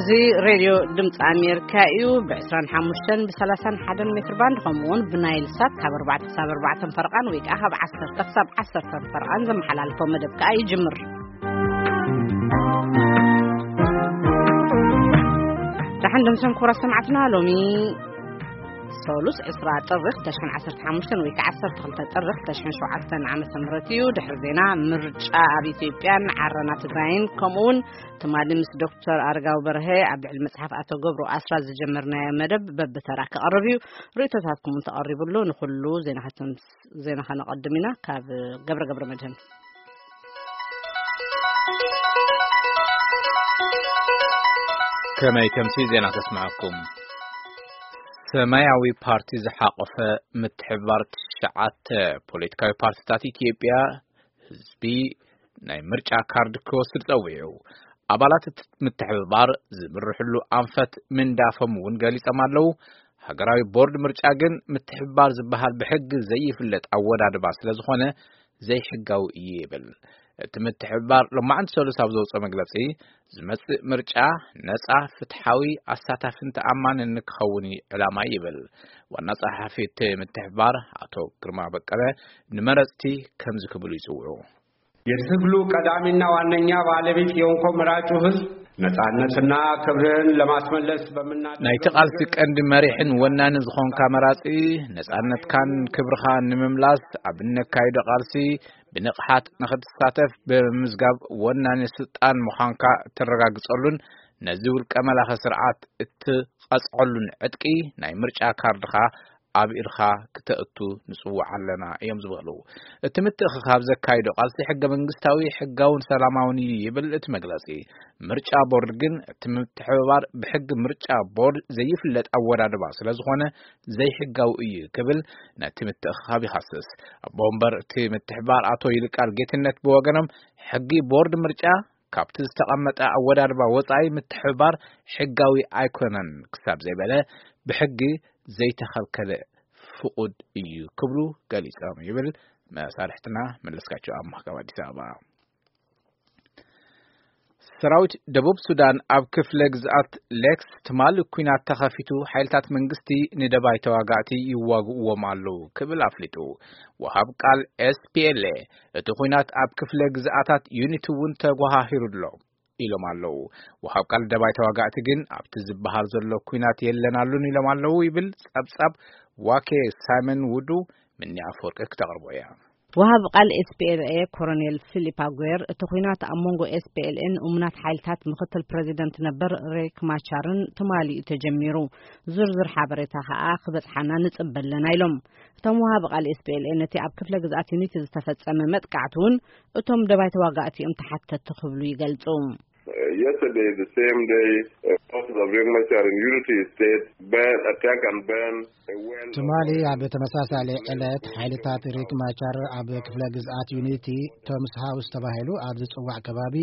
እዚ ሬድዮ ድምፂ ኣሜሪካ እዩ። ብ25 ብ31 ሜትር ባንድ፣ ከምኡ እውን ብናይል ሳት ካብ ኣርባዕተ ክሳብ ኣርባዕተ ፈረቓን ወይ ከዓ ካብ ዓሰርተ ክሳብ ዓሰርተ ፈረቓን ዘመሓላልፎ መደብ ከዓ ይጅምር። ደሓን ደምሰን ክቡራት ሰማዕትና፣ ሎሚ ሰሉስ ዕስራ ጥሪ ክልተ ሽሕን ዓሰርተ ሓሙሽተን ወይ ከዓ ዓሰርተ ክልተ ጥሪ ክልተ ሽሕን ሸውዓተን ዓመተ ምህረት እዩ። ድሕሪ ዜና፣ ምርጫ ኣብ ኢትዮጵያን ዓረና ትግራይን፣ ከምኡ እውን ትማሊ ምስ ዶክተር ኣረጋዊ በርሀ ኣብ ልዕሊ መጽሓፍ ኣቶ ገብሩ ኣስራት ዝጀመርናዮ መደብ በብተራ ክቐርብ እዩ። ርእይቶታትኩም እውን ተቐሪቡ ኣሎ። ንኹሉ ዜና ከተምስ-፣ ዜና ከነቐድም ኢና። ካብ ገብረ ገብረ መድህን። ከመይ ከምሲ ዜና ከስምዐኩም። ሰማያዊ ፓርቲ ዝሓቆፈ ምትሕብባር ትሽዓተ ፖለቲካዊ ፓርቲታት ኢትዮጵያ ህዝቢ ናይ ምርጫ ካርድ ክወስድ ጸዊዑ። ኣባላት እቲ ምትሕብባር ዝምርሕሉ ኣንፈት ምንዳፎም እውን ገሊጾም ኣለዉ። ሃገራዊ ቦርድ ምርጫ ግን ምትሕብባር ዝበሃል ብሕጊ ዘይፍለጥ ኣወዳድባ ስለ ዝኾነ ዘይሕጋዊ እዩ ይብል። እቲ ምትሕብባር ሎማዕንቲ ሰሉስ ኣብ ዘውፅኦ መግለፂ፣ ዝመፅእ ምርጫ ነፃ፣ ፍትሓዊ፣ ኣሳታፍን ተኣማንን ክኸውን እዩ ዕላማ ይብል። ዋና ጸሓፊ እቲ ምትሕብባር ኣቶ ግርማ በቀለ ንመረፅቲ ከምዚ ክብሉ ይፅውዑ። የትግሉ ቀዳሚና ዋነኛ ባለቤት የሆንኮ መራጩ ህዝብ ነጻነትና ክብርን ለማስመለስ በምና ናይቲ ቃልሲ ቀንዲ መሪሕን ወናኒ ዝኾንካ መራጺ፣ ነጻነትካን ክብርኻን ንምምላስ ኣብ እነካይዶ ቃልሲ ብንቕሓት ንኽትሳተፍ ብምምዝጋብ ወናኒ ስልጣን ምዃንካ እተረጋግጸሉን ነዚ ውልቀ መላኺ ስርዓት እትቐጽዐሉን ዕጥቂ ናይ ምርጫ ካርድኻ ኣብ ኢድኻ ክተእቱ ንጽውዕ ኣለና እዮም ዝበሉ። እቲ ምትእኽኻብ ዘካይዶ ቃልሲ ሕገ መንግስታዊ፣ ሕጋውን ሰላማውን እዩ ይብል እቲ መግለጺ። ምርጫ ቦርድ ግን እቲ ምትሕብባር ብሕጊ ምርጫ ቦርድ ዘይፍለጥ ኣወዳድባ ስለ ዝኾነ ዘይሕጋዊ እዩ ክብል ነቲ ምትእኽኻብ ይኸስስ። ኣቦ ወንበር እቲ ምትሕብባር ኣቶ ይልቃል ጌትነት ብወገኖም ሕጊ ቦርድ ምርጫ ካብቲ ዝተቐመጠ ኣወዳድባ ወጻኢ ምትሕብባር ሕጋዊ ኣይኮነን ክሳብ ዘይበለ ብሕጊ ዘይተኸልከለ ፍቑድ እዩ ክብሉ ገሊጾም ይብል መሳርሕትና መለስካቸው ኣማህ ካብ ኣዲስ ኣበባ። ሰራዊት ደቡብ ሱዳን ኣብ ክፍለ ግዝኣት ሌክስ ትማሊ ኲናት ተኸፊቱ፣ ሓይልታት መንግስቲ ንደባይ ተዋጋእቲ ይዋግእዎም ኣለዉ ክብል ኣፍሊጡ። ወሃብ ቃል ኤስ ፒ ኤል ኤ፣ እቲ ኲናት ኣብ ክፍለ ግዝኣታት ዩኒቲ እውን ተጓሃሂሩ ኣሎ ኢሎም ኣለዉ። ወሃብ ቃል ደባይ ተዋጋእቲ ግን ኣብቲ ዝበሃል ዘሎ ኲናት የለን ኣሉን ኢሎም ኣለዉ ይብል ጸብጻብ ዋኬ። ሳይመን ውዱ ምኒ ኣፈወርቂ ክተቕርቦ እያ። ወሃብ ቃል ኤስ ፒ ኤል ኤ ኮሎኔል ፊሊፕ ኣጉዌር፣ እቲ ኲናት ኣብ መንጎ ኤስ ፒ ኤል ኤን እሙናት ሓይልታት ምክትል ፕሬዚደንት ነበር ሬክ ማቻርን ትማሊ እዩ ተጀሚሩ። ዝርዝር ሓበሬታ ከኣ ክበጽሓና ንጽበ ኣለና ኢሎም። እቶም ወሃቢ ቃል ኤስ ፒ ኤል ኤ ነቲ ኣብ ክፍለ ግዝኣት ዩኒቲ ዝተፈጸመ መጥቃዕቲ እውን እቶም ደባይ ተዋጋእቲ እዮም ተሓተቲ ክብሉ ይገልጹ። Uh, yesterday, the same day, uh, forces of Riek Machar in Unity State burn, attack and burn a well of ትማሊ oil ኣብ ተመሳሳሊ ዕለት ሓይልታት ሪክ ማቻር ኣብ ክፍለ ግዝኣት ዩኒቲ ቶምስ ሃውስ ተባሂሉ ኣብ ዝጽዋዕ ከባቢ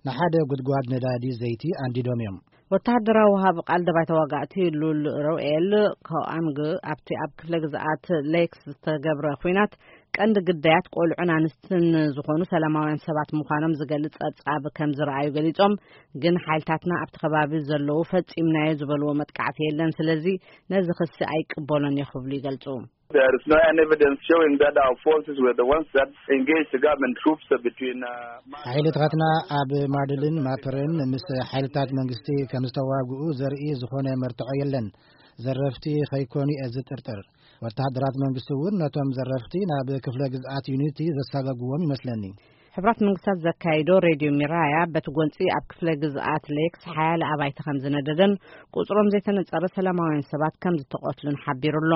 ንሓደ ጉድጓድ ነዳዲ ዘይቲ ኣንዲዶም እዮም። ወተሃደራዊ ወሃቢ ቃል ደባይ ተዋጋእቲ ሉል ሮኤል ኮኣንግ ኣብቲ ኣብ ክፍለ ግዝኣት ሌክስ ዝተገብረ ኲናት ቀንዲ ግዳያት ቆልዑን ኣንስትን ዝኾኑ ሰላማውያን ሰባት ምዃኖም ዝገልጽ ጸብጻብ ከም ዝረኣዩ ገሊጾም፣ ግን ሓይልታትና ኣብቲ ከባቢ ዘለዉ ፈጺምናዮ ዝበልዎ መጥቃዕቲ የለን፣ ስለዚ ነዚ ክሲ ኣይቅበሎን እየ ክብሉ ይገልጹ። There is no any evidence showing that our forces were the ones that engaged the government troops between, uh, ሓይልታትና ኣብ ማድልን ማፕርን ምስ ሓይልታት መንግስቲ ከም ዝተዋግኡ ዘርኢ ዝኾነ መርትዖ የለን። ዘረፍቲ ከይኮኑ እየ ዝጥርጥር። ወተሃደራት መንግስቲ እውን ነቶም ዘረፍቲ ናብ ክፍለ ግዝኣት ዩኒቲ ዘሳገግዎም ይመስለኒ። ሕብራት መንግስታት ዘካይዶ ሬድዮ ሚራያ በቲ ጎንጺ ኣብ ክፍለ ግዝኣት ሌክስ ሓያለ ኣባይቲ ከም ዝነደደን ቁጽሮም ዘይተነጸረ ሰላማውያን ሰባት ከም ዝተቐትሉን ሓቢሩ ኣሎ።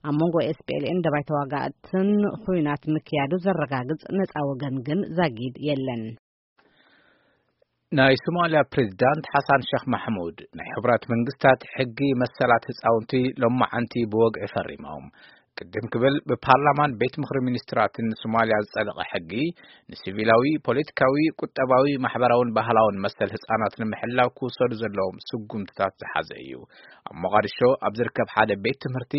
ኣብ መንጎ ኤስ ፒ ኤል ኤን ደባይ ተዋጋእትን ኹናት ምክያዱ ዘረጋግጽ ነጻ ወገን ግን ዛጊድ የለን። ናይ ሶማልያ ፕሬዝዳንት ሓሳን ሸኽ ማሕሙድ ናይ ሕቡራት መንግስታት ሕጊ መሰላት ህፃውንቲ ሎማዓንቲ ብወግዒ ፈሪሞም። ቅድም ክብል ብፓርላማን ቤት ምኽሪ ሚኒስትራትን ሶማልያ ዝጸደቐ ሕጊ ንሲቪላዊ፣ ፖለቲካዊ፣ ቁጠባዊ፣ ማሕበራውን ባህላውን መሰል ህፃናት ንምሕላው ክውሰዱ ዘለዎም ስጉምትታት ዝሓዘ እዩ። ኣብ ሞቓዲሾ ኣብ ዝርከብ ሓደ ቤት ትምህርቲ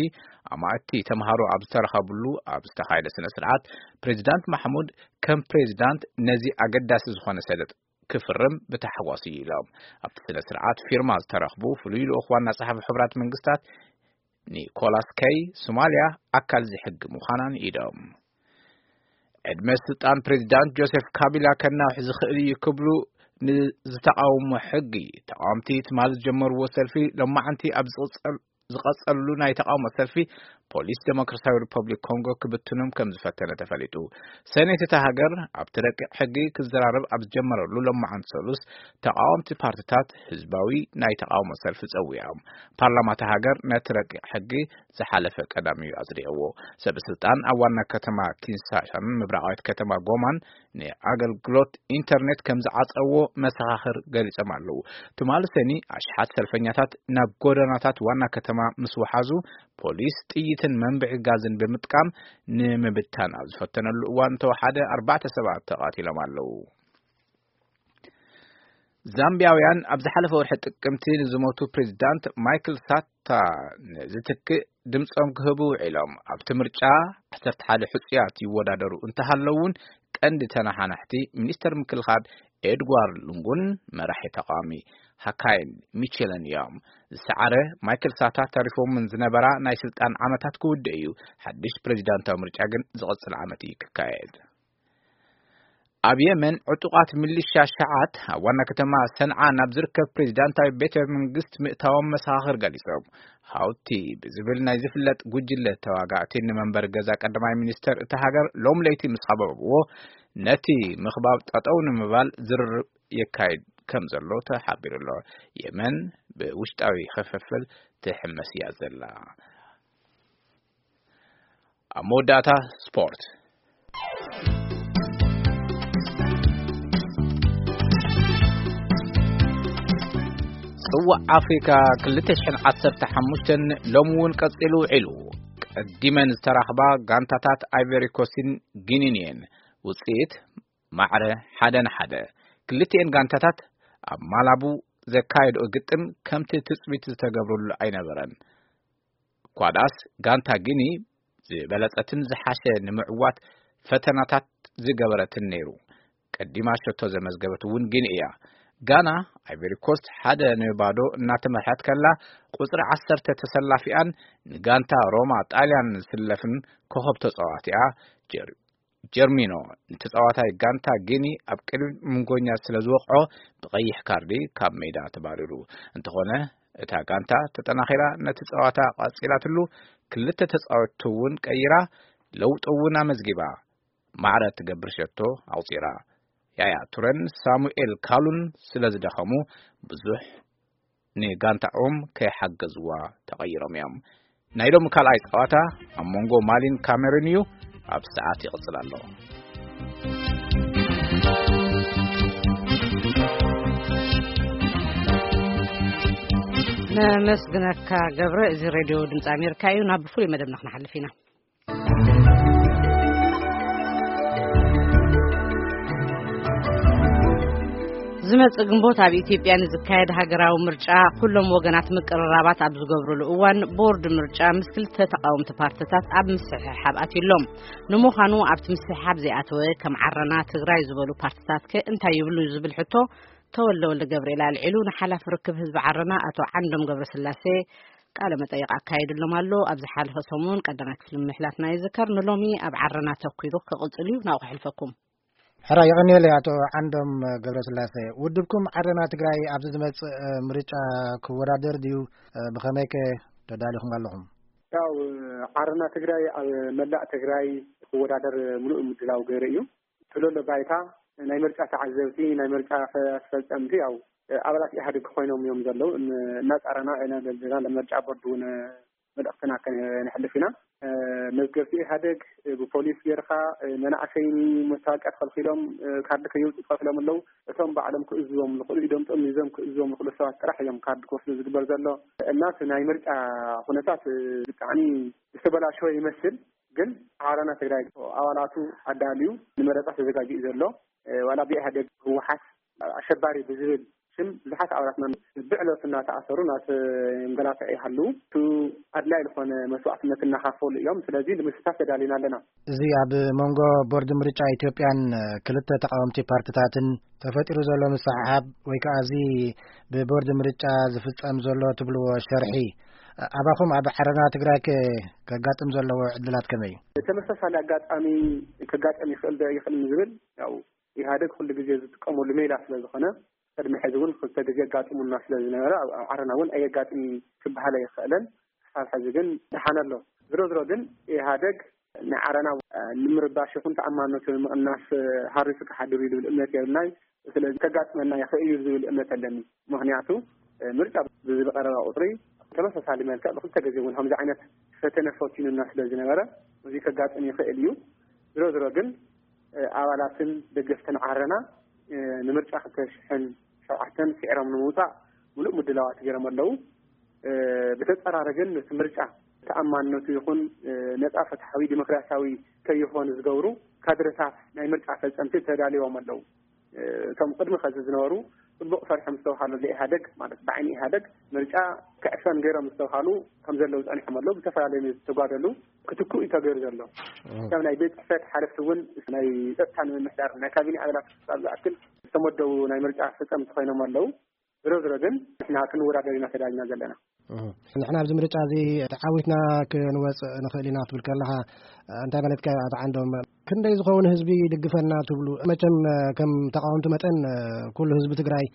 ኣማእቲ ተምሃሮ ኣብ ዝተረኸብሉ ኣብ ዝተኻየደ ስነ ስርዓት ፕሬዝዳንት ማሕሙድ ከም ፕሬዝዳንት ነዚ ኣገዳሲ ዝኾነ ሰነድ ክፍርም ብታሕጓስ እዩ ኢሎም። ኣብቲ ስነ ስርዓት ፊርማ ዝተረኽቡ ፍሉይ ልኡኽ ዋና ጸሓፊ ሕቡራት መንግስታት ኒኮላስ ከይ፣ ሶማልያ ኣካል እዚ ሕጊ ምዃናን ኢዶም። ዕድመ ስልጣን ፕሬዚዳንት ጆሴፍ ካቢላ ከናውሕ ዝኽእል እዩ ክብሉ ንዝተቃውሞ ሕጊ ተቃወምቲ ትማሊ ዝጀመርዎ ሰልፊ ሎማዓንቲ ኣብ ዝቕጸል ዝቐጸሉ ናይ ተቃውሞ ሰልፊ ፖሊስ ዴሞክራሲያዊ ሪፐብሊክ ኮንጎ ክብትኖም ከም ዝፈተነ ተፈሊጡ። ሰኔት እታ ሃገር ኣብቲ ረቂቕ ሕጊ ክዘራረብ ኣብ ዝጀመረሉ ሎማዓንቲ ሰሉስ ተቃወምቲ ፓርቲታት ህዝባዊ ናይ ተቃውሞ ሰልፊ ጸዊዖም። ፓርላማ እታ ሃገር ነቲ ረቂቕ ሕጊ ዝሓለፈ ቀዳም እዩ ኣጽዲቕዎ። ሰብ ስልጣን ኣብ ዋና ከተማ ኪንሻሳን ምብራቓዊት ከተማ ጎማን ንኣገልግሎት ኢንተርኔት ከም ዝዓጸዎ መሰኻኽር ገሊጾም ኣለዉ። ትማሊ ሰኒ ኣሽሓት ሰልፈኛታት ናብ ጎደናታት ዋና ከተማ ምስ ወሓዙ፣ ፖሊስ ጥይትን መንብዒ ጋዝን ብምጥቃም ንምብታን ኣብ ዝፈተነሉ እዋን እንተወሓደ ኣርባዕተ ሰባት ተቓቲሎም ኣለዉ። ዛምቢያውያን ኣብ ዝሓለፈ ወርሒ ጥቅምቲ ንዝሞቱ ፕሬዚዳንት ማይክል ሳታ ንዝትክእ ድምጾም ክህቡ ውዒሎም። ኣብቲ ምርጫ ዓሰርተ ሓደ ሕጹያት ይወዳደሩ እንተሃለዉ እውን፣ ቀንዲ ተነሓናሕቲ ሚኒስተር ምክልኻል ኤድዋርድ ሉንጉን መራሒ ተቃዋሚ ሃካይን ሚቼልን እዮም። ዝሰዓረ ማይክል ሳታ ተሪፎምን ዝነበራ ናይ ስልጣን ዓመታት ክውድእ እዩ። ሓድሽ ፕሬዚዳንታዊ ምርጫ ግን ዝቕጽል ዓመት እዩ ክካየድ። ኣብ የመን ዕጡቓት ሚሊሻ ሸዓት ኣብ ዋና ከተማ ሰንዓ ናብ ዝርከብ ፕሬዚዳንታዊ ቤተ መንግስት ምእታዎም መሰኻኽር ገሊጾም። ሃውቲ ብዝብል ናይ ዝፍለጥ ጉጅለ ተዋጋእቲ ንመንበሪ ገዛ ቀዳማይ ሚኒስተር እታ ሃገር ሎም ለይቲ ምስ ኸበብዎ፣ ነቲ ምኽባብ ጠጠው ንምባል ዝርርብ የካይድ ከም ዘሎ ተሓቢሩ ኣሎ። የመን ብውሽጣዊ ክፍፍል ትሕመስ እያ ዘላ። ኣብ መወዳእታ ስፖርት። ጽዋዕ ኣፍሪካ ክልተ ሽሕን ዓሰርተ ሓሙሽተን ሎሚ እውን ቀጺሉ ውዒሉ። ቀዲመን ዝተራኽባ ጋንታታት ኣይቨሪ ኮስትን ጊኒን እየን። ውጽኢት ማዕረ ሓደ ንሓደ። ክልቲኤን ጋንታታት ኣብ ማላቡ ዘካየድኦ ግጥም ከምቲ ትጽቢት ዝተገብረሉ ኣይነበረን። እኳ ደኣስ ጋንታ ጊኒ ዝበለጸትን ዝሓሸ ንምዕዋት ፈተናታት ዝገበረትን ነይሩ። ቀዲማ ሸቶ ዘመዝገበት እውን ጊኒ እያ። ጋና ኣይቨሪ ኮስት ሓደ ንባዶ እናተመርሐት ከላ፣ ቁጽሪ ዓሰርተ ተሰላፊኣን ንጋንታ ሮማ ጣልያን ዝስለፍን ኮኸብ ተጻዋቲኣ ጀር-፣ ጀርሚኖ ንተጻዋታይ ጋንታ ጊኒ ኣብ ቅድሚ ምንጎኛ ስለ ዝወቕዖ ብቐይሕ ካርዲ ካብ ሜዳ ተባሪሩ። እንተኾነ እታ ጋንታ ተጠናኺራ ነቲ ጸዋታ ቀጺላትሉ፣ ክልተ ተጻወትቲ እውን ቀይራ ለውጢ እውን ኣመዝጊባ። ማዕረ እትገብር ሸቶ ኣቑጺራ። ያያ ቱረን ሳሙኤል ካሉን ስለ ዝደኸሙ ብዙሕ ንጋንታኦም ከይሓገዝዋ ተቐይሮም እዮም። ናይ ሎሚ ካልኣይ ጸዋታ ኣብ መንጎ ማሊን ካሜሩን እዩ። ኣብ ሰዓት ይቕጽል ኣሎ። ነመስግነካ ገብረ። እዚ ሬድዮ ድምፂ ኣሜሪካ እዩ። ናብ ፍሉይ መደብና ክንሓልፍ ኢና። ዝመጽእ ግንቦት ኣብ ኢትዮጵያ ንዝካየድ ሃገራዊ ምርጫ ኩሎም ወገናት ምቅርራባት ኣብ ዝገብሩሉ እዋን፣ ቦርድ ምርጫ ምስ ክልተ ተቃወምቲ ፓርትታት ኣብ ምስሕሓብ ኣትዩ ኣሎ። ንምዃኑ ኣብቲ ምስሕሓብ ዘይኣተወ ከም ዓረና ትግራይ ዝበሉ ፓርትታትከ እንታይ ይብሉ ዝብል ሕቶ ተወልደ ወልደ ገብርኤል ኣልዒሉ ንሓላፊ ርክብ ህዝቢ ዓረና ኣቶ ዓንዶም ገብረስላሴ ቃለ መጠይቕ ኣካይድሎም ኣሎ። ኣብ ዝሓለፈ ሰሙን ቀዳማይ ክፍሊ ምሕላፍና ይዝከር። ንሎሚ ኣብ ዓረና ተኲሩ ክቕጽል እዩ። ናብኡ ክሕልፈኩም። ሕራ የቐንየለይ ኣቶ ዓንዶም ገብረስላሴ። ውድብኩም ዓረና ትግራይ ኣብዚ ዝመጽእ ምርጫ ክወዳደር ድዩ? ብኸመይከ ተዳሊኹም ኣለኹም? ያው ዓረና ትግራይ ኣብ መላእ ትግራይ ክወዳደር ምሉእ ምድላው ገይሩ እዩ። ትለሎ ባይታ ናይ ምርጫ ተዓዘብቲ፣ ናይ ምርጫ ኣስፈጸምቲ ያው ኣባላት ኢህኣዴግ ኮይኖም እዮም ዘለዉ። ን-፣ እናጻረና ኢና ዘለና። ንምርጫ ቦርድ እውን መልእኽትና ከነሕልፍ ኢና። መዝገብቲ ኢህኣዴግ ብፖሊስ ጌርካ፣ መናእሰይ መታወቂያ ተኸልኪሎም፣ ካርዲ ከየውፅኡ ተኸልኪሎም ኣለዉ። እቶም ባዕሎም ክእዝዞም ዝኽእሉ፣ ኢዶም ጠሚዞም ክእዝዞም ዝኽእሉ ሰባት ጥራሕ እዮም ካርዲ ክወስዱ ዝግበር ዘሎ። እና እቲ ናይ ምርጫ ኩነታት ብጣዕሚ ዝተበላሸወ ይመስል። ግን ዓረና ትግራይ ኣባላቱ ኣዳልዩ ንመረፃ ተዘጋጅዩ ዘሎ፣ ዋላ ብኢህኣዴግ ህወሓት ኣሸባሪ ብዝብል ግን ብዙሓት ኣባላትና ብዕለቱ እናተኣሰሩ እናተንገላትዑ ይሃለዉ። እቲ ኣድላይ ዝኾነ መስዋዕትነት እናኸፈሉ እዮም። ስለዚ ንምስታፍ ተዳሊና ኣለና። እዚ ኣብ መንጎ ቦርድ ምርጫ ኢትዮጵያን ክልተ ተቃወምቲ ፓርትታትን ተፈጢሩ ዘሎ ምስሕሓብ ወይ ከዓ እዚ ብቦርድ ምርጫ ዝፍጸም ዘሎ ትብልዎ ሸርሒ ኣባኹም ኣብ ዓረና ትግራይ ከ ከጋጥም ዘለዎ ዕድላት ከመይ እዩ? ተመሳሳሊ ኣጋጣሚ ከጋጥም ይኽእል ዶ ይኽእል ዝብል ያው ኢህኣደግ ኩሉ ግዜ ዝጥቀመሉ ሜላ ስለ ዝኾነ ቅድሚ ሕዚ እውን ክልተ ግዜ ኣጋጢሙና ስለ ዝነበረ ኣብ ዓረና እውን ኣየጋጥም ክበሃል ኣይኽእልን። ክሳብ ሕዚ ግን ደሓን ኣሎ። ዝሮ ዝሮ ግን ኢህኣደግ ንዓረና ንምርባሽ ይኹን ተኣማንነቱ ንምቕናስ ሃሪሱ ክሓድር እዩ ዝብል እምነት የብልናይ። ስለዚ ከጋጥመና ይኽእል እዩ ዝብል እምነት ኣለኒ። ምኽንያቱ ምርጫ ብዝቀረበ ቁፅሪ ተመሳሳሊ መልክዕ ብክልተ ግዜ እውን ከምዚ ዓይነት ፈተነ ፈቲኑና ስለ ዝነበረ እዚ ከጋጥም ይኽእል እዩ። ዝሮ ዝሮ ግን ኣባላትን ደገፍትን ዓረና ንምርጫ ክልተ ሽሕን ሸውዓተን ስዒሮም ንምውፃእ ሙሉእ ምድላዋት ገይሮም ኣለዉ። ብተፀራረ ግን ነቲ ምርጫ ተኣማንነቱ ይኹን ነፃ ፍትሓዊ ዲሞክራሲያዊ ከይኾን ዝገብሩ ካድረታት ናይ ምርጫ ፈፀምቲ ተዳልዮም ኣለዉ። እቶም ቅድሚ ከዚ ዝነበሩ ፅቡቕ ፈሪሖም ዝተባሃሉ ኢህኣደግ ማለት ብዓይኒ ኢህኣደግ ምርጫ ክዕፈን ገይሮም ዝተባሃሉ ከም ዘለዉ ፀኒሖም ኣለዉ። ብዝተፈላለዩ ዝተጓደሉ ክትክኡ እዩ ተገይሩ ዘሎ። ከም ናይ ቤት ፅሕፈት ሓለፍቲ እውን ናይ ፀጥታ ንምምሕዳር ናይ ካቢኔ ኣባላት ክሳብ ዝኣክል ዝተመደቡ ናይ ምርጫ ፈፀምቲ ኮይኖም ኣለዉ። ዝሮ ዝሮ ግን ንሕና ክንወዳደር ኢና ተዳሊና ዘለና። ንሕና ኣብዚ ምርጫ እዚ ተዓዊትና ክንወፅእ ንኽእል ኢና ክትብል ከለኻ እንታይ ማለትካ እዩ? ኣቶ ዓንዶም ክንደይ ዝኸውን ህዝቢ ይድግፈና ትብሉ? መቸም ከም ተቃወምቲ መጠን ኩሉ ህዝቢ ትግራይ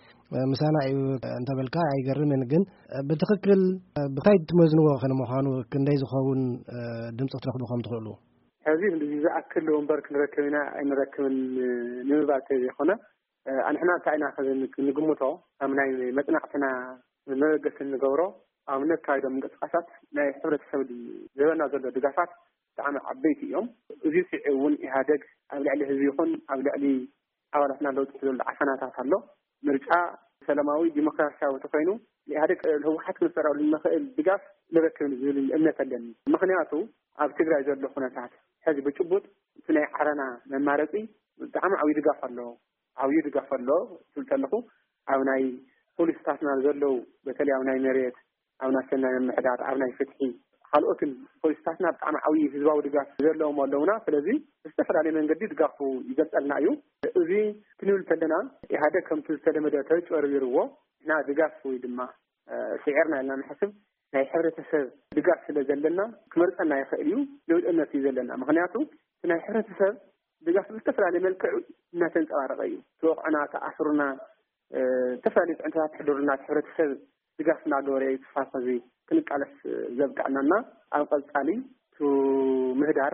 ምሳና እዩ እንተበልካ ኣይገርምን። ግን ብትኽክል ብታይ ትመዝንዎ ክንምዃኑ ክንደይ ዝኸውን ድምፂ ክትረኽቡ ከም ትኽእሉ? ሕዚ ዝኣክል ወንበር ክንረክብ ኢና ኣይንረክብን ንምባል ተዘይኮነ ኣንሕና እንታይ ኢና ንግምቶ ኣብ ናይ መፅናዕትና መበገሲ እንገብሮ ኣብነት ካይዶም ምንቅስቃሳት ናይ ሕብረተሰብ ዝህበና ዘሎ ድጋፋት ብጣዕሚ ዓበይቲ እዮም። እዚ ስዒ እውን ኢህኣደግ ኣብ ልዕሊ ህዝቢ ይኹን ኣብ ልዕሊ ኣባላትና ለውጢ ዘሎ ዓፈናታት ኣሎ። ምርጫ ሰላማዊ ዲሞክራሲያዊ ተኮይኑ ኢህኣደግ ህወሓት ክንፈራሉ ንኽእል ድጋፍ ንረክብ ዝብል እምነት ኣለኒ። ምክንያቱ ኣብ ትግራይ ዘሎ ኩነታት ሕዚ ብጭቡጥ እቲ ናይ ዓረና መማረፂ ብጣዕሚ ዓብዩ ድጋፍ ኣሎ። ዓብዩ ድጋፍ ኣሎ ትብል ከለኹ ኣብ ናይ ፖሊስታትና ዘለዉ በተለይ ኣብ ናይ መሬት ኣብ ናይ ሰናይ ምምሕዳር ኣብ ናይ ፍትሒ ካልኦትን ፖሊስታትና ብጣዕሚ ዓብዪ ህዝባዊ ድጋፍ ዘለዎም ኣለውና። ስለዚ ብዝተፈላለየ መንገዲ ድጋፉ ይገልፀልና እዩ። እዚ ክንብል ከለና ኢህኣደግ ከምቲ ዝተለመደ ተጭበርቢርዎ እና ድጋፍ ወይ ድማ ስዒርና ኢልና ንሓስብ ናይ ሕብረተሰብ ድጋፍ ስለ ዘለና ክመርፀና ይኽእል እዩ ዝብል እምነት እዩ ዘለና። ምክንያቱ እቲ ናይ ሕብረተሰብ ድጋፍ ብዝተፈላለየ መልክዕ እናተንፀባረቀ እዩ። ተወቕዕና ተኣስሩና ዝተፈላለዩ ፅዕንቶታት ተሕድሩና እቲ ሕብረተሰብ ድጋፍ እናገበረ እዩ ክሳብ ሕዚ ክንቃለስ ዘብቅዐናና ኣብ ቀፃሊ እቲ ምህዳር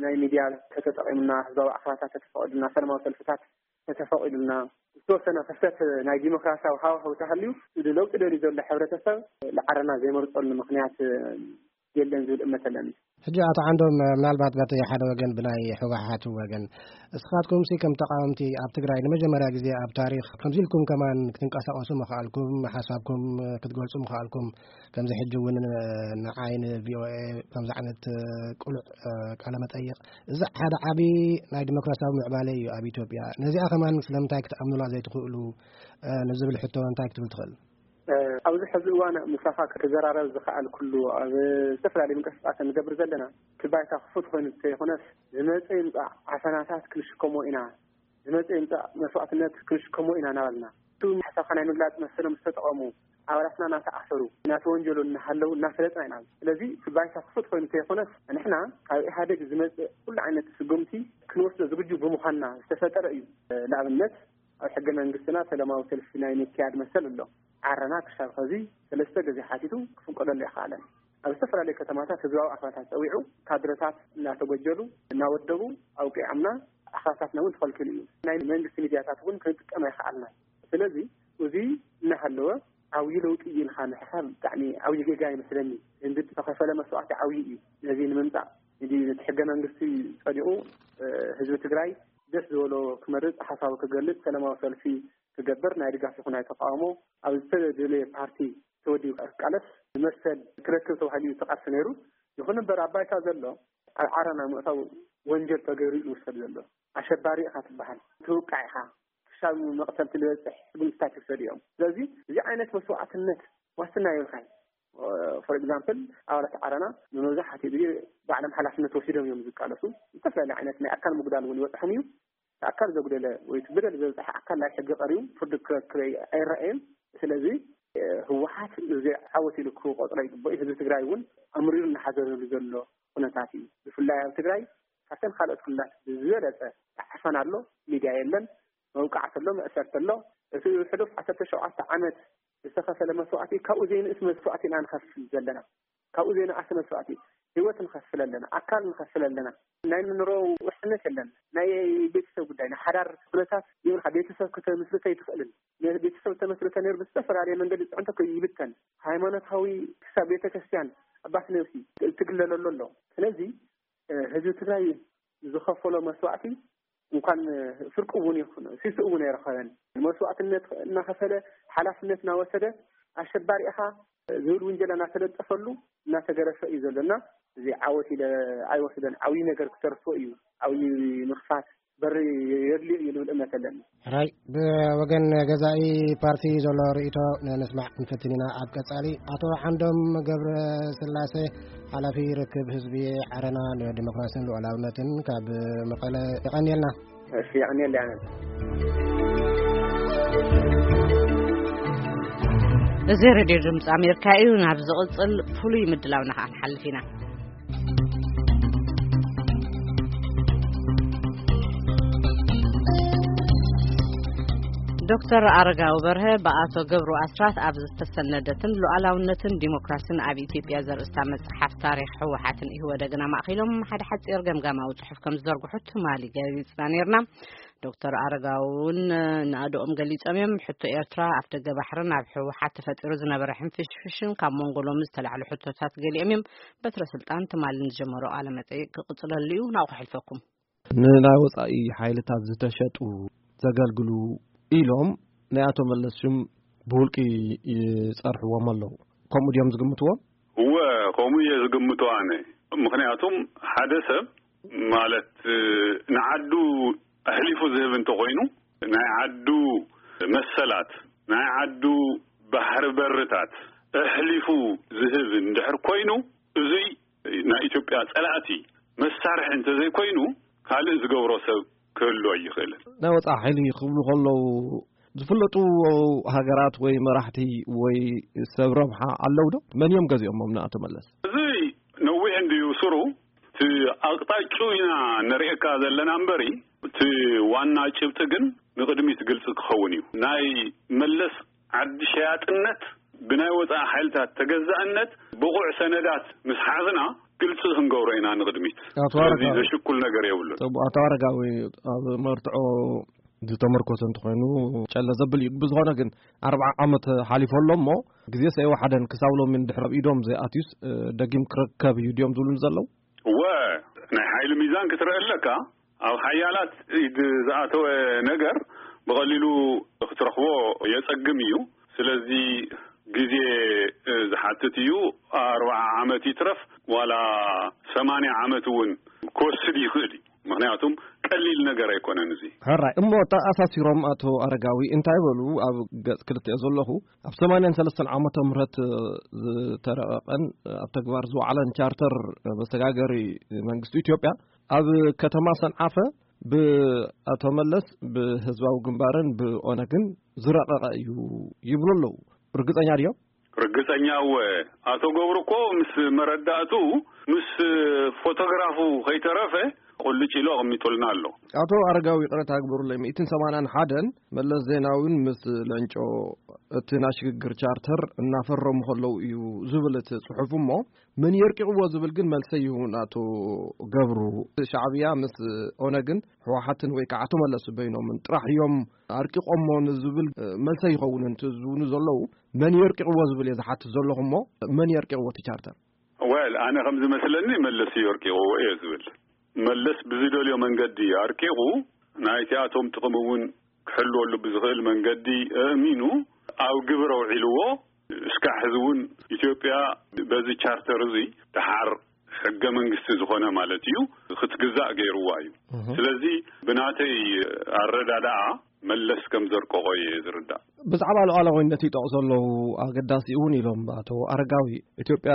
ናይ ሚድያ ተተጠቂምና ህዝባዊ ኣኽባታት ተተፈቂዱልና ሰላማዊ ሰልፍታት ተተፈቂዱልና ዝተወሰነ ክስተት ናይ ዲሞክራሲያዊ ሃዋህው ተሃልዩ እዚ ለውጢ ደልዩ ዘሎ ሕብረተሰብ ለዓረና ዘይመርፀሉ ምክንያት የለን ዝብል እምነት ኣለኒ። ሕጂ ኣቶ ዓንዶም ምናልባት በቲ ሓደ ወገን ብናይ ህወሓት ወገን እስኻትኩም ሲ ከም ተቃወምቲ ኣብ ትግራይ ንመጀመርያ ግዜ ኣብ ታሪኽ ከምዚ ኢልኩም ከማን ክትንቀሳቀሱ ምኽኣልኩም ሓሳብኩም ክትገልጹ ምኽኣልኩም ከምዚ ሕጂ እውን ንዓይ ንቪኦኤ ከምዚ ዓይነት ቁሉዕ ቃለ መጠይቅ እዚ ሓደ ዓቢ ናይ ዲሞክራሲያዊ ምዕባለ እዩ ኣብ ኢትዮጵያ። ነዚኣ ከማን ስለምንታይ ክትኣምኑላ ዘይትኽእሉ ንዝብል ሕቶ እንታይ ክትብል ትኽእል? ኣብዚ ሕዚ እዋን ምሳኻ ክዘራረብ ዝኸኣልኩሉ ኣብ ዝተፈላለዩ ምንቅስቃስ እንገብር ዘለና እቲ ባይታ ክፉት ኮይኑ እንተይኮነስ ዝመፀ ይምፃእ ዓፈናታት ክንሽከሞ ኢና፣ ዝመፀ ይምፃእ መስዋእትነት ክንሽከሞ ኢና እናበልና እቱ ሓሳብካ ናይ ምግላፅ መሰሎም ዝተጠቐሙ ኣባላትና እናተኣሰሩ እናተወንጀሉ እናሃለዉ እናፈለጥና ኢና። ስለዚ እቲ ባይታ ክፉት ኮይኑ እንተይኮነስ ንሕና ካብ ኢህኣደግ ዝመፅእ ኩሉ ዓይነት ስጉምቲ ክንወስዶ ዝግጁ ብምዃንና ዝተፈጠረ እዩ። ንኣብነት ኣብ ሕገ መንግስትና ሰላማዊ ሰልፊ ናይ ምክያድ መሰል ኣሎ። ዓረና ክሻብ ኸዚ ሰለስተ ግዜ ሓቲቱ ክፍንቀለሉ ኣይኸኣለን። ኣብ ዝተፈላለዩ ከተማታት ህዝባዊ ኣኽባታት ፀዊዑ ካድረታት እናተጎጀሉ እናወደቡ ኣውቂዖምና ኣኽባታትና እውን ተኸልኪሉ እዩ። ናይ መንግስቲ ሚድያታት እውን ክንጥቀም ኣይኸኣልናን። ስለዚ እዚ እናሃለወ ዓብዪ ለውጢ እዩ ኢልካ ምሕሳብ ብጣዕሚ ዓብዪ ጌጋ ይመስለኒ። ህንዲ ዝተኸፈለ መስዋዕቲ ዓብዪ እዩ። ነዚ ንምምፃእ ሕጂ ነቲ ሕገ መንግስቲ ፀዲቑ ህዝቢ ትግራይ ደስ ዝበሎ ክመርፅ ሓሳቡ ክገልፅ ሰላማዊ ሰልፊ ክገብር ናይ ድጋፍ ይኹን ናይ ተቃውሞ ኣብ ዝተደለየ ፓርቲ ተወዲቡ ክቃለስ መሰል ክረክብ ተባሂሉ እዩ ተቃልሲ ነይሩ። ይኹን እምበር ኣብ ባይታ ዘሎ ኣብ ዓረና ምእታው ወንጀል ተገይሩ እዩ ዝውሰድ ዘሎ። ኣሸባሪ ኢኻ ትበሃል፣ ትውቃዕ ኢኻ። ክሳብ መቕተልቲ ዝበፅሕ እርምጃታት ይወሰዱ እዮም። ስለዚ እዚ ዓይነት መስዋዕትነት ዋስትና የብልካን። ፎር ኤግዛምፕል፣ ኣባላት ዓረና ንመብዛሕትኡ ግዜ ባዕሎም ሓላፍነት ወሲዶም እዮም ዝቃለሱ። ዝተፈላለዩ ዓይነት ናይ ኣካል ምጉዳል እውን ይበፅሖም እዩ። ኣካል ዘጉደለ ወይ እቲ በደል ዘብፀሐ ኣካል ናይ ሕጊ ቀሪቡ ፍርዲ ክረክብ ኣይረኣየን። ስለዚ ህወሓት እዚ ዓወት ኢሉ ክቆፅሮ ይግበኦ። ህዝቢ ትግራይ እውን ኣምሪሩ እናሓዘነሉ ዘሎ ኩነታት እዩ። ብፍላይ ኣብ ትግራይ ካብተን ካልኦት ክልላት ብዝበለፀ ዓፈና ኣሎ። ሚድያ የለን፣ መውቃዕቲ ኣሎ፣ መእሰርቲ ኣሎ። እቲ ሕሉፍ ዓሰርተ ሸውዓተ ዓመት ዝተኸፈለ መስዋእቲ ካብኡ ዘይንእስ መስዋእቲ ኢና ንኸፍል ዘለና። ካብኡ ዘይንኣስ መስዋእቲ፣ ህይወት ንኸፍል ኣለና፣ ኣካል ንኸፍል ኣለና። ናይ ንሮ ውሕስነት የለን። ናይ ቤተሰብ ጉዳይ፣ ናይ ሓዳር ኩነታት ይብልካ፣ ቤተሰብ ከተምስርተ ኣይትኽእልን። ቤተሰብ ተመስርተ ነይሩ ብዝተፈላለየ መንገዲ ፅዕንቶ ይብተን። ሃይማኖታዊ ክሳብ ቤተክርስትያን ኣባት ነብሲ ትግለለሉ ኣሎ። ስለዚ ህዝቢ ትግራይ ዝኸፈሎ መስዋእቲ እንኳን ፍርቂ እውን ይኹን ሲሱ እውን ኣይረኸበን። መስዋእትነት እናኸፈለ፣ ሓላፍነት እናወሰደ፣ ኣሸባሪ ኢኻ ዝብል ውንጀላ እናተለጠፈሉ እናተገረፈ እዩ ዘሎና። እዚ ዓወት ኢለ ኣይወስደን። ዓብዪ ነገር ክተርፎ እዩ። ዓብዪ ምኽፋት በሪ የድልዮ እዩ ልብል እምነት ኣለኒ። ሕራይ፣ ብወገን ገዛኢ ፓርቲ ዘሎ ርእይቶ ንስማዕ ክንፍትን ኢና። ኣብ ቀጻሊ ኣቶ ዓንዶም ገብረ ስላሴ፣ ሓላፊ ርክብ ህዝቢ ዓረና ንዲሞክራሲን ሉዓላውነትን ካብ መቐለ፣ የቐንየልና። እሺ፣ የቐንየልና። እዚ ሬድዮ ድምፂ ኣሜሪካ እዩ። ናብ ዝቕፅል ፍሉይ ምድላውና ከዓ ንሓልፍ ኢና። ዶክተር ኣረጋዊ በርሀ ብኣቶ ገብሩ ኣስራት ኣብ ዝተሰነደትን ሉዓላውነትን ዲሞክራሲን ኣብ ኢትዮጵያ ዘርእስታ መጽሓፍ፣ ታሪኽ ህወሓትን ኢህወደግን ኣማእኪሎም ሓደ ሓጺር ገምጋማዊ ጽሑፍ ከም ዝዘርግሑ ትማሊ ገሊጽና ነይርና። ዶክተር ኣረጋዊ እውን ንኣድኦም ገሊጾም እዮም። ሕቶ ኤርትራ፣ ኣፍደገ ባሕርን ኣብ ህወሓት ተፈጢሩ ዝነበረ ሕንፍሽፍሽን ካብ መንጎ ሎሚ ዝተላዕሉ ሕቶታት ገሊኦም እዮም። በትረ ስልጣን ትማሊ ንዝጀመሮ ቃለ መጠይቅ ክቕጽለሉ እዩ። ናብኡ ክሕልፈኩም። ንናይ ወጻኢ ሓይልታት ዝተሸጡ ዘገልግሉ ኢሎም ናይ ኣቶ መለስ ሽም ብውልቂ ይጸርሕዎም ኣለዉ። ከምኡ ድዮም ዝግምትዎም? እወ፣ ከምኡ እየ ዝግምቶ ኣነ። ምኽንያቱም ሓደ ሰብ ማለት ንዓዱ ኣሕሊፉ ዝህብ እንተኾይኑ፣ ናይ ዓዱ መሰላት፣ ናይ ዓዱ ባሕሪ በርታት ኣሕሊፉ ዝህብ እንድሕር ኮይኑ፣ እዙይ ናይ ኢትዮጵያ ጸላእቲ መሳርሒ እንተዘይኮይኑ፣ ካልእ ዝገብሮ ሰብ ክህሉ ኣይኽእልን። ናይ ወጻኢ ሓይሊ ክብሉ ከለዉ ዝፍለጡ ሃገራት ወይ መራሕቲ ወይ ሰብ ረብሓ ኣለዉ ዶ? መን እዮም ገዚኦሞም ንኣቶ መለስ? እዚ ነዊሕ እንድዩ ስሩ። እቲ ኣቕጣጭኡ ኢና ንርእየካ ዘለና እምበሪ፣ እቲ ዋና ጭብጢ ግን ንቕድሚት ግልጺ ክኸውን እዩ። ናይ መለስ ዓዲ ሸያጥነት፣ ብናይ ወጻኢ ሓይልታት ተገዛእነት፣ ብቑዕ ሰነዳት ምስ ሓዝና ግልጺ ክንገብሮ ኢና ንቕድሚት። ኣቶ ስለዚ ኣረጋዊ። ዘሽኩል ነገር የብሉን። ጽቡቕ፣ ኣቶ ኣረጋዊ፣ ኣብ መርትዖ ዝተመርኮሰ እንተኾይኑ ጨለ ዘብል እዩ። ብዝኾነ ግን ኣርብዓ ዓመት ሓሊፎ ኣሎ እሞ፣ ግዜ ሰይወሓደን ክሳብ ሎሚ እንድሕር ኣብ ኢዶም ዘይኣትዩስ፣ እ፣ ደጊም ክርከብ እዩ ድዮም ዝብሉኒ ዘለዉ? እወ፣ ናይ ሓይሊ ሚዛን ክትርኢ ኣለካ። ኣብ ሓያላት ኢድ ዝኣተወ ነገር ብቐሊሉ ክትረኽቦ የጸግም እዩ። ስለዚ ግዜ፣ እ፣ ዝሓትት እዩ። ኣርብዓ ዓመት ይትረፍ ዋላ ሰማንያ ዓመት እውን ክወስድ ይኽእል እዩ። ምኽንያቱም ቀሊል ነገር ኣይኮነን እዚ። ሕራይ እሞ፣ ተኣሳሲሮም ኣቶ ኣረጋዊ እንታይ በሉ? ኣብ ገጽ ክልተ ዘለኹ፣ ኣብ ሰማንያን ሰለስተን ዓመተ ምህረት ዝተረቐቐን ኣብ ተግባር ዝወዓለን ቻርተር መሰጋገሪ መንግስቲ ኢትዮጵያ ኣብ ከተማ ሰንዓፈ ብኣቶ መለስ፣ ብህዝባዊ ግንባርን ብኦነግን ዝረቐቐ እዩ ይብሉ ኣለዉ። ርግጸኛ ድዮም? ርግጸኛ እወ። ኣቶ ገብሩ እኮ ምስ መረዳእቱ፣ ምስ ፎቶግራፉ ከይተረፈ ቁልጭ ኢሉ ኣቐሚጡልና ኣሎ። ኣቶ ኣረጋዊ፣ ይቕረታ ግበሩለይ፣ ሚእትን ሰማንያን ሓደን መለስ ዜናዊን ምስ ለንጮ እቲ ናይ ሽግግር ቻርተር እናፈረሙ ከለዉ እዩ ዝብል እቲ ጽሑፍ እሞ፣ መን የርቂቕዎ ዝብል ግን መልሰ ይሁን ኣቶ ገብሩ። ሻዕብያ ምስ ኦነግን ህወሓትን ወይ ከዓ ኣቶ መለስ በይኖምን ጥራሕ እዮም ኣርቂቖሞ ንዝብል፣ እ፣ መልሰ ይኸውን። እንት ዝብሉ ዘለዉ፣ መን የርቂቕዎ ዝብል እየ ዝሓትት ዘለኹ እሞ፣ መን የርቂቕዎ እቲ ቻርተር? ወል፣ ኣነ ከም ዝመስለኒ መለስ እዩ ኣርቂቕዎ እየ ዝብል። መለስ ብዝደልዮ መንገዲ ኣርቂቑ፣ ናይቲኣቶም ጥቕሚ እውን ክሕልወሉ ብዝኽእል መንገዲ ኣእሚኑ ኣብ ግብር ኣውዒልዎ። እስካዕ ሕዚ እውን ኢትዮጵያ በዚ ቻርተር እዚ ደሓር ሕገ መንግስቲ ዝኾነ ማለት እዩ፣ ክትግዛእ ገይርዋ እዩ። እህ። ስለዚ ብናተይ ኣረዳድኣ መለስ ከም ዘርቀቖ እየ ዝርዳእ። ብዛዕባ ሉዓላዊነት ይጠቕሱ ኣለዉ። ኣገዳሲ እውን ኢሎም ኣቶ ኣረጋዊ። ኢትዮጵያ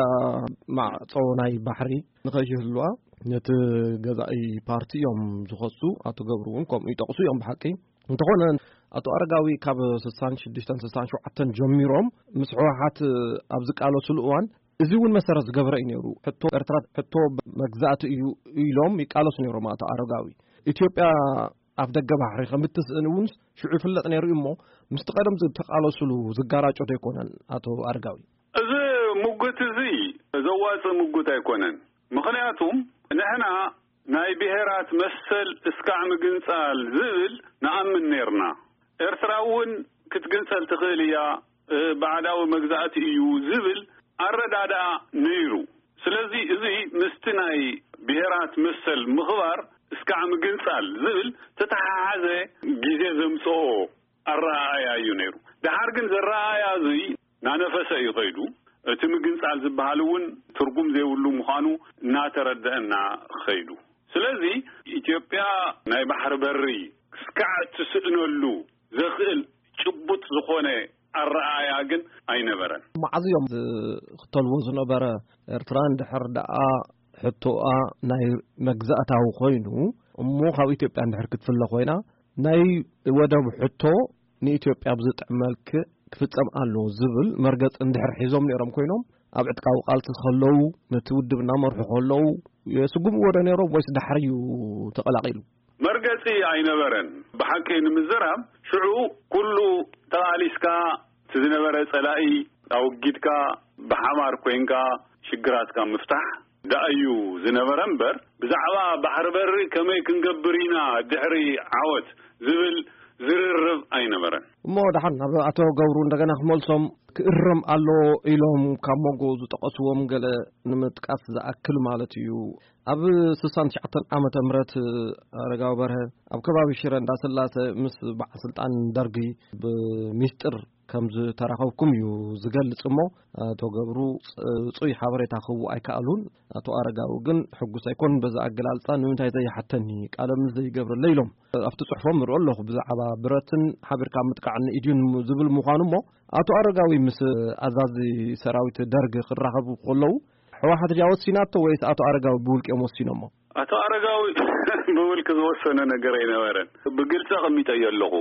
ማዕጾ ናይ ባሕሪ ንኸይህልዋ ነቲ ገዛኢ ፓርቲ እዮም ዝኸሱ። ኣቶ ገብሩ እውን ከምኡ ይጠቕሱ እዮም ብሓቂ። እንተኾነ ኣቶ ኣረጋዊ ካብ ስሳን ሽዱሽተን ስሳን ሸውዓተን ጀሚሮም ምስ ህወሓት ኣብ ዝቃለሱሉ እዋን እዚ እውን መሰረት ዝገበረ እዩ ነይሩ። ሕቶ ኤርትራ ሕቶ መግዛእቲ እዩ ኢሎም ይቃለሱ ነይሮም ኣቶ ኣረጋዊ። ኢትዮጵያ ኣፍ ደገ ባሕሪ ከም እትስእን እውን ሽዑ ይፍለጥ ነይሩ እዩ። እሞ ምስቲ ቀደም ዝተቃለሱሉ ዝጋራጮ ዶ ኣይኮነን ኣቶ ኣረጋዊ? እዚ ምጉት እዚ ዘዋጽእ ምጉት ኣይኮነን። ምኽንያቱም ንሕና ናይ ብሔራት መሰል እስካዕ ምግንጻል ዝብል ንኣምን ነይርና። ኤርትራ እውን ክትግንጸል ትኽእል እያ፣ እ፣ ባዕዳዊ መግዛእቲ እዩ ዝብል ኣረዳድኣ ነይሩ። ስለዚ እዚ ምስቲ ናይ ብሔራት መሰል ምኽባር እስካዕ ምግንጻል ዝብል ተተሓሓዘ ግዜ ዘምጽኦ ኣረኣእያ እዩ ነይሩ። ደሓር ግን ዘረኣእያ እዚ ናነፈሰ እዩ ኸይዱ። እቲ ምግንጻል ዝበሃል እውን ትርጉም ዘይብሉ ምዃኑ እናተረደአና ኸይዱ። ስለዚ ኢትዮጵያ ናይ ባሕሪ በሪ እስካዕ ትስእነሉ ዘኽእል ጭቡጥ ዝኾነ ኣረኣእያ ግን ኣይነበረን። መዓዝ እዮም ዝኽተልዎ ዝነበረ? ኤርትራ እንድሕር ደኣ ሕቶኣ ናይ መግዛእታዊ ኮይኑ እሞ ካብ ኢትዮጵያ እንድሕር ክትፍለ ኮይና ናይ ወደብ ሕቶ ንኢትዮጵያ ብዝጥዕም መልክዕ ክፍጸም ኣለዎ ዝብል መርገጽ እንድሕር ሒዞም ነይሮም ኮይኖም ኣብ ዕጥቃዊ ቃልሲ ከለዉ ነቲ ውድብ እናመርሑ ከለዉ የስጉምዎ ዶ ነይሮም ወይስ ዳሕሪ እዩ ተቐላቒሉ? መርገጺ ኣይነበረን። ብሓቂ ንምዝራብ ሽዑ ኩሉ ተቓሊስካ እቲ ዝነበረ ጸላኢ ኣወጊድካ ብሓባር ኮይንካ ሽግራትካ ምፍታሕ ደኣ እዩ ዝነበረ እምበር ብዛዕባ ባሕሪ በሪ ከመይ ክንገብር ኢና ድሕሪ ዓወት ዝብል ዝርርብ ኣይነበረን። እሞ ደሓን ናብ ኣቶ ገብሩ እንደገና ክመልሶም ክእረም ኣሎ ኢሎም ካብ መንጎ ዝጠቐስዎም ገለ ንምጥቃስ ዝኣክል ማለት እዩ። ኣብ ስሳን ትሽዓተን ዓመተ ምህረት ኣረጋዊ በርሀ ኣብ ከባቢ ሽረ እንዳስላሰ ምስ በዓል ስልጣን ደርጊ ብሚስጥር ከም ዝተራኸብኩም እዩ ዝገልጽ። እሞ ኣቶ ገብሩ ጽጹይ ሓበሬታ ክህቡ ኣይከኣሉን። ኣቶ ኣረጋዊ ግን ሕጉስ ኣይኮን በዛ ኣገላልጻ ንምንታይ ዘይሓተኒ ቃለ ምልልስ ዘይገብረለ ኢሎም ኣብቲ ጽሑፎም ንርኦ ኣለኹ። ብዛዕባ ብረትን ሓቢርካ ምጥቃዕን ኢድዩን ዝብል ምዃኑ። እሞ ኣቶ ኣረጋዊ ምስ ኣዛዚ ሰራዊት ደርግ ክራኸቡ ከለዉ ሕወሓት ድያ ወሲናቶ ወይስ ኣቶ ኣረጋዊ ብውልቅኦም ወሲኖሞ? ኣቶ ኣረጋዊ ብውልቂ ዝወሰነ ነገር ኣይነበረን። ብግልፂ ኣቐሚጠዮ ኣለኹ።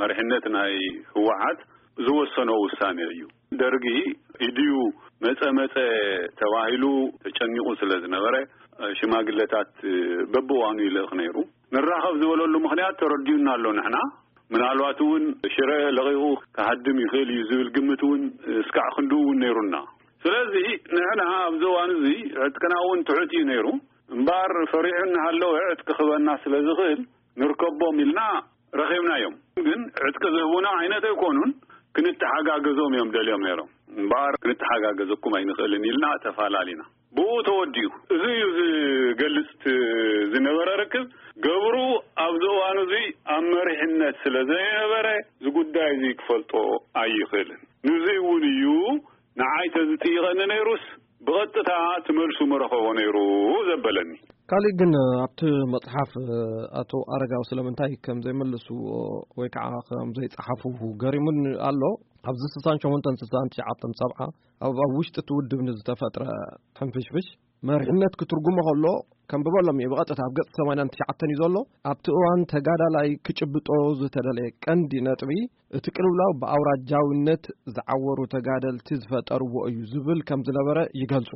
መሪሕነት ናይ ህወሓት ዝወሰኖ ውሳኔ እዩ። ደርጊ ኢድዩ መፀ መፀ ተባሂሉ ተጨኒቑ ስለ ዝነበረ ሽማግለታት በብእዋኑ ይልእኽ ነይሩ። ንራኸብ ዝበለሉ ምኽንያት ተረዲኡና ኣሎ። ንሕና ምናልባት እውን ሽረ ለቒቑ ክሃድም ይኽእል እዩ ዝብል ግምት እውን እስካዕ ክንድኡ እውን ነይሩና። ስለዚ ንሕና ኣብዚ እዋን እዚ ዕጥቅና እውን ትሑት እዩ ነይሩ። እምበኣር ፈሪሑ እናሃለወ ዕጥቂ ክህበና ስለ ዝኽእል ንርከቦም ኢልና ረኺብናዮም። ግን ዕጥቂ ዝህቡና ዓይነት ኣይኮኑን፣ ክንተሓጋገዞም እዮም ደልዮም ነይሮም። እምበኣር ክንተሓጋገዘኩም ኣይንኽእልን ኢልና ተፋላሊና። ብኡ ተወዲኡ። እዚ እዩ ዝገልጽ እቲ ዝነበረ ርክብ። ገብሩ ኣብዚ እዋን እዚ ኣብ መሪሕነት ስለ ዘይነበረ እዚ ጉዳይ እዚ ክፈልጦ ኣይኽእልን። ንዚ እውን እዩ ንዓይ ተዝጥይቐኒ ነይሩስ ብቐጥታ ትመልሱ መረኸቦ ነይሩ ዘበለኒ። ካልእ ግን ኣብቲ መጽሓፍ ኣቶ ኣረጋዊ ስለምንታይ ከም ዘይመልስዎ ወይ ከዓ ከም ዘይጸሓፉ ገሪሙን ኣሎ። ኣብዚ ስሳን ሸሞንተን ስሳን ትሽዓተን ሰብዓ ኣብ ኣብ ውሽጢ እቲ ውድብ ንዝተፈጥረ ሕንፍሽፍሽ መሪሕነት ክትርጉሞ ከሎ ከም ብበሎም እዩ ብቐጥታ ኣብ ገጽ ሰማንያን ትሽዓተን እዩ ዘሎ። ኣብቲ እዋን ተጋዳላይ ክጭብጦ ዝተደለየ ቀንዲ ነጥቢ እቲ ቅልውላው ብኣውራጃውነት ዝዓወሩ ተጋደልቲ ዝፈጠርዎ እዩ ዝብል ከም ዝነበረ ይገልጹ።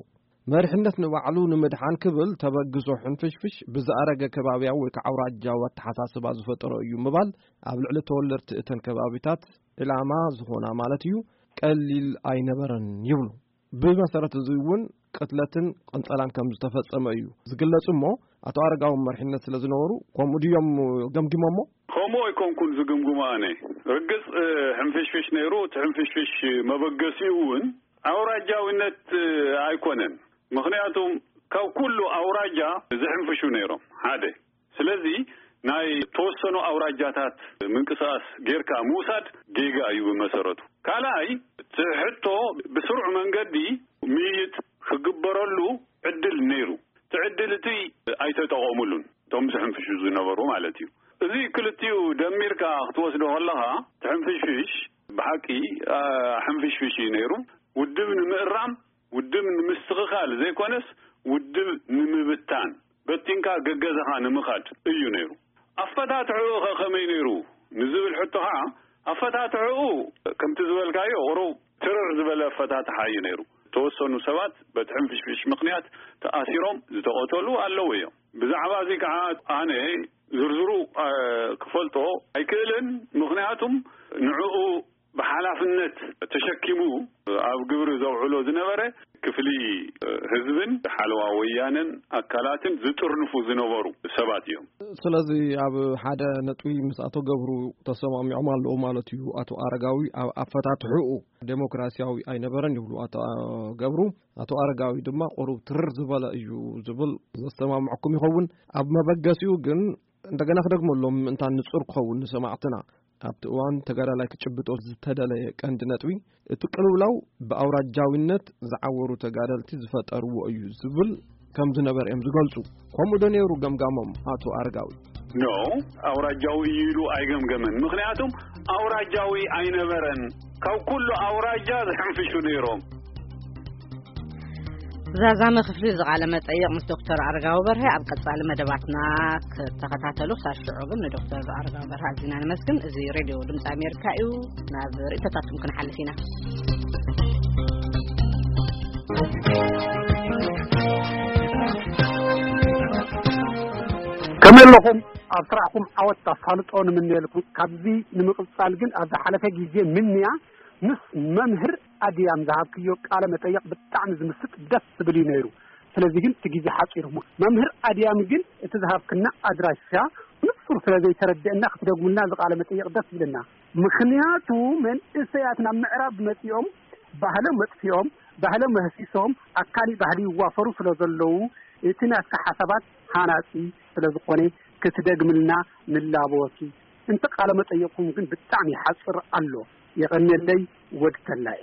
መሪሕነት ንባዕሉ ንምድሓን ክብል ተበግሶ ሕንፍሽፍሽ ብዝኣረገ ከባብያዊ ወይ ከዓ ኣውራጃዊ ኣተሓሳስባ ዝፈጠሮ እዩ ምባል ኣብ ልዕሊ ተወለድቲ እተን ከባቢታት ዕላማ ዝኾና ማለት እዩ ቀሊል ኣይነበረን ይብሉ። ብመሰረት እዚ እውን ቅትለትን ቅንጸላን ከም ዝተፈጸመ እዩ ዝግለጽ። እሞ ኣቶ ኣረጋዊ መሪሕነት ስለ ዝነበሩ ከምኡ ድዮም ገምጊሞሞ? ከምኡ ኣይኮንኩን ዝግምግሞ ኣነ። ርግጽ ሕንፍሽፍሽ ነይሩ። እቲ ሕንፍሽፍሽ መበገሲኡ እውን ኣውራጃዊነት ኣይኮነን። ምኽንያቱም ካብ ኩሉ ኣውራጃ ዝሕንፍሹ ነይሮም ሓደ። ስለዚ ናይ ተወሰኑ ኣውራጃታት ምንቅስቃስ ጌርካ ምውሳድ ጌጋ እዩ ብመሰረቱ። ካልኣይ እቲ ሕቶ ብስሩዕ መንገዲ ምይይጥ ክግበረሉ ዕድል ነይሩ። እቲ ዕድል እቲ ኣይተጠቐሙሉን። ምስ ሕንፍሹ ዝነበሩ ማለት እዩ። እዚ ክልቲኡ ደሚርካ ክትወስዶ ከለኻ፣ እቲ ሕንፍሽፍሽ ብሓቂ፣ ኣ፣ ሕንፍሽፍሽ እዩ ነይሩ። ውድብ ንምእራም፣ ውድብ ንምስትኽኻል ዘይኮነስ፣ ውድብ ንምብታን፣ በቲንካ ገገዛኻ ንምኻድ እዩ ነይሩ። ኣፈታትሕኡ ኸ ከመይ ነይሩ ንዝብል ሕቶ ኸዓ፣ ኣፈታትሕኡ ከምቲ ዝበልካዮ ቁሩብ ትርር ዝበለ ኣፈታትሓ እዩ ነይሩ። ተወሰኑ ሰባት በቲ ሕንፍሽፍሽ ምኽንያት ተኣሲሮም ዝተቐተሉ ኣለዉ እዮም። ብዛዕባ እዚ ከዓ ኣነ ዝርዝሩ፣ እ፣ ክፈልጦ ኣይክእልን። ምኽንያቱም ንዕኡ ብሓላፍነት ተሸኪሙ ኣብ ግብሪ ዘውዕሎ ዝነበረ ክፍሊ፣ እ፣ ህዝብን ሓለዋ ወያነን ኣካላትን ዝጥርንፉ ዝነበሩ ሰባት እዮም። ስለዚ ኣብ ሓደ ነጥቢ ምስ ኣቶ ገብሩ ተሰማሚዖም ኣለዉ ማለት እዩ። ኣቶ ኣረጋዊ ኣብ ኣፈታትሕኡ ዴሞክራሲያዊ ኣይነበረን ይብሉ ኣቶ ገብሩ። ኣቶ ኣረጋዊ ድማ ቁሩብ ትርር ዝበለ እዩ ዝብል ዘሰማምዐኩም ይኸውን። ኣብ መበገሲኡ ግን እንደገና ክደግመሎም ምእንታን ንጹር ክኸውን ንሰማዕትና፣ ኣብቲ እዋን ተጋዳላይ ክጭብጦ ዝተደለየ ቀንዲ ነጥቢ፣ እቲ ቅልውላው ብኣውራጃዊነት ዝዓወሩ ተጋደልቲ ዝፈጠርዎ እዩ ዝብል ከም ዝነበረ እዮም ዝገልጹ። ከምኡ ዶ ነይሩ ገምጋሞም ኣቶ ኣረጋዊ? ኖ፣ ኣውራጃዊ እዩ ኢሉ ኣይገምገመን። ምኽንያቱም ኣውራጃዊ ኣይነበረን። ካብ ኩሉ ኣውራጃ ዝሕንፍሹ ነይሮም። ዛዛመ ክፍሊ ዝቃለ መጠይቕ ምስ ዶክተር ኣረጋዊ በርሀ ኣብ ቀጻሊ መደባትና ክትከታተሉ፣ ክሳብ ሽዑ ግን ንዶክተር ኣረጋዊ በርሀ ኣዚና ነመስግን። እዚ ሬድዮ ድምፂ ኣሜሪካ እዩ። ናብ ርእይቶታትኩም ክንሓልፍ ኢና። ከመይ ኣለኹም? ኣብ ስራሕኩም ዓወት ኣሳልጦ ንምነየልኩም። ካብዚ ንምቕጻል ግን ኣብ ዝሓለፈ ግዜ ምንያ ምስ መምህር ኣድያም ዝሃብክዮ ቃለ መጠይቕ ብጣዕሚ ዝምስጥ ደስ ዝብል እዩ ነይሩ። ስለዚ ግን እቲ ግዜ ሓጺሩ እሞ፣ መምህር ኣድያም ግን እቲ ዝሃብክና ኣድራሻ ንጹር ስለ ዘይተረድአና ክትደግሙልና እዚ ቃለ መጠይቕ ደስ ይብለና። ምኽንያቱ መንእሰያት ናብ ምዕራብ መጺኦም ባህሎም መጥፊኦም፣ ባህሎም መህሲሶም ኣካሊ ባህሊ ይዋፈሩ ስለ ዘለዉ እቲ ናትካ ሓሳባት ሃናጺ ስለ ዝኾነ ክትደግምልና ንላበወኪ። እንተ ቃለ መጠይቕኩም ግን ብጣዕሚ ይሓጽር ኣሎ። የቐንየለይ ወድ ተላኤ።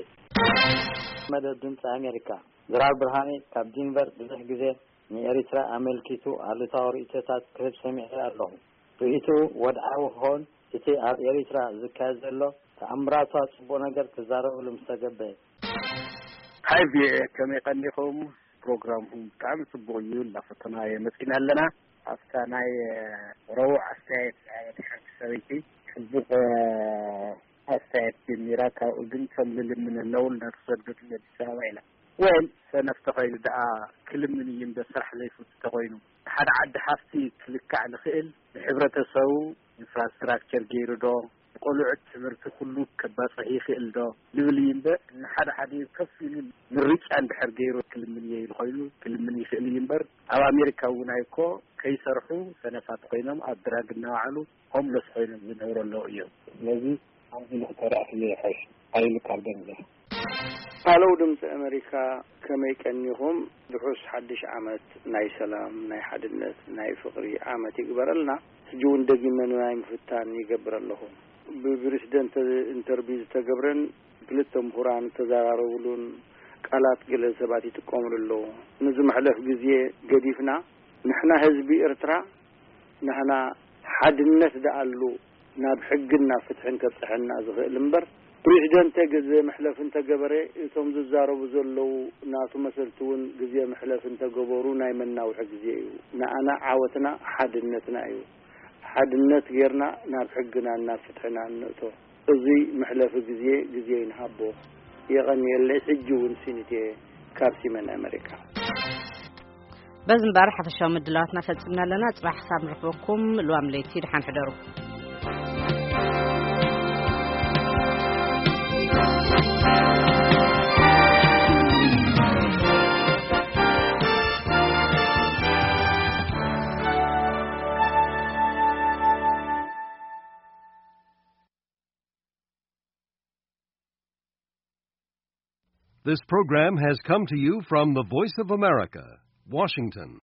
መደብ ድምፂ ኣሜሪካ። ድራር ብርሃኔ ካብ ዲንቨር ብዙሕ ግዜ ንኤሪትራ ኣመልኪቱ ኣሉታዊ ርእይቶታት ክህብ ሰሚዐ ኣለኹ። ርእይትኡ ወድዓዊ ክኸውን፣ እቲ ኣብ ኤሪትራ ዝካየድ ዘሎ ተኣምራቱ ጽቡቕ ነገር ክዛረበሉ ምስ ተገበየ። ሃይ ቪኦኤ፣ ከመይ ቀኒኹም? ፕሮግራምኩም ብጣዕሚ ጽቡቕ እዩ፣ እናፈተናዮ መጺና ኣለና። ኣብታ ናይ ረቡዕ ኣስተያየት ዝሃበት ሓንቲ ሰበይቲ ጽቡቕ ኣስተያየት ጀሚራ፣ ካብኡ ግን ከም ልልምን ኣለዉ፣ እናተሰደዱ ነዲስ ኣበባ ኢላ። ወል ሰነፍ ተኾይኑ ደኣ ክልምን እዩ እምበር ስራሕ ዘይፈቱ ተኾይኑ፣ ሓደ ዓዲ ሃፍቲ ክልካዕ ንኽእል፣ ንሕብረተሰቡ ኢንፍራስትራክቸር ገይሩ ዶ፣ ንቆልዑት ትምህርቲ ኩሉ ከባጽሕ ይኽእል ዶ ንብል እዩ እምበር፣ ንሓደ ሓደ ከፍ ኢሉ ምርጫ እንድሕር ገይሩ ክልምን እየ ኢሉ ኮይኑ ክልምን ይኽእል እዩ እምበር፣ ኣብ ኣሜሪካ እውን ኣይኮ ከይሰርሑ ሰነፋት ኮይኖም ኣብ ድራግ እናወዓሉ ሆምለስ ኮይኖም ዝነብሩ ኣለዉ እዮም። ስለዚ ከምዚ ንኽተረፍ ይሕሽ። ሓይሉ ካብ ደንዘ። ሃለው ድምፂ ኣሜሪካ፣ ከመይ ቀኒኹም? ድሑስ ሓድሽ ዓመት ናይ ሰላም፣ ናይ ሓድነት፣ ናይ ፍቕሪ ዓመት ይግበረልና። ሕጂ እውን ደጊመ ንናይ ምፍታን ይገብር ኣለኹ። ብፕሬዚደንት ኢንተርቪው ዝተገብረን ክልተ ምሁራን ዝተዘራረቡሉን ቃላት ገለ ሰባት ይጥቀሙሉ ኣለዉ። ንዝመሕለፍ ግዜ ገዲፍና፣ ንሕና ህዝቢ ኤርትራ፣ ንሕና ሓድነት ደኣሉ ናብ ሕግን ናብ ፍትሕን ከብጽሐና ዝኽእል እምበር፣ ፕሬዚደንት ግዜ መሕለፍ እንተገበረ፣ እቶም ዝዛረቡ ዘለዉ ናቱ መሰልቲ እውን ግዜ መሕለፍ እንተገበሩ ናይ መናውሒ ግዜ እዩ። ንኣና ዓወትና ሓድነትና እዩ። ሓድነት ጌርና ናብ ሕግናን ናብ ፍትሕናን ንእቶ። እዚ መሕለፊ ግዜ፣ ግዜ ይንሃቦ። የቐንየለይ። ሕጂ እውን ሲኒት እየ ካብ ሲመን ኣመሪካ። በዚ እምበኣር ሓፈሻዊ ምድላዋትና ፈጺምና ኣለና። ጽባሕ ክሳብ ንረኽበኩም፣ ልዋም ለይቲ፣ ደሓን ሕደሩ። This program has come to you from the Voice of America, Washington.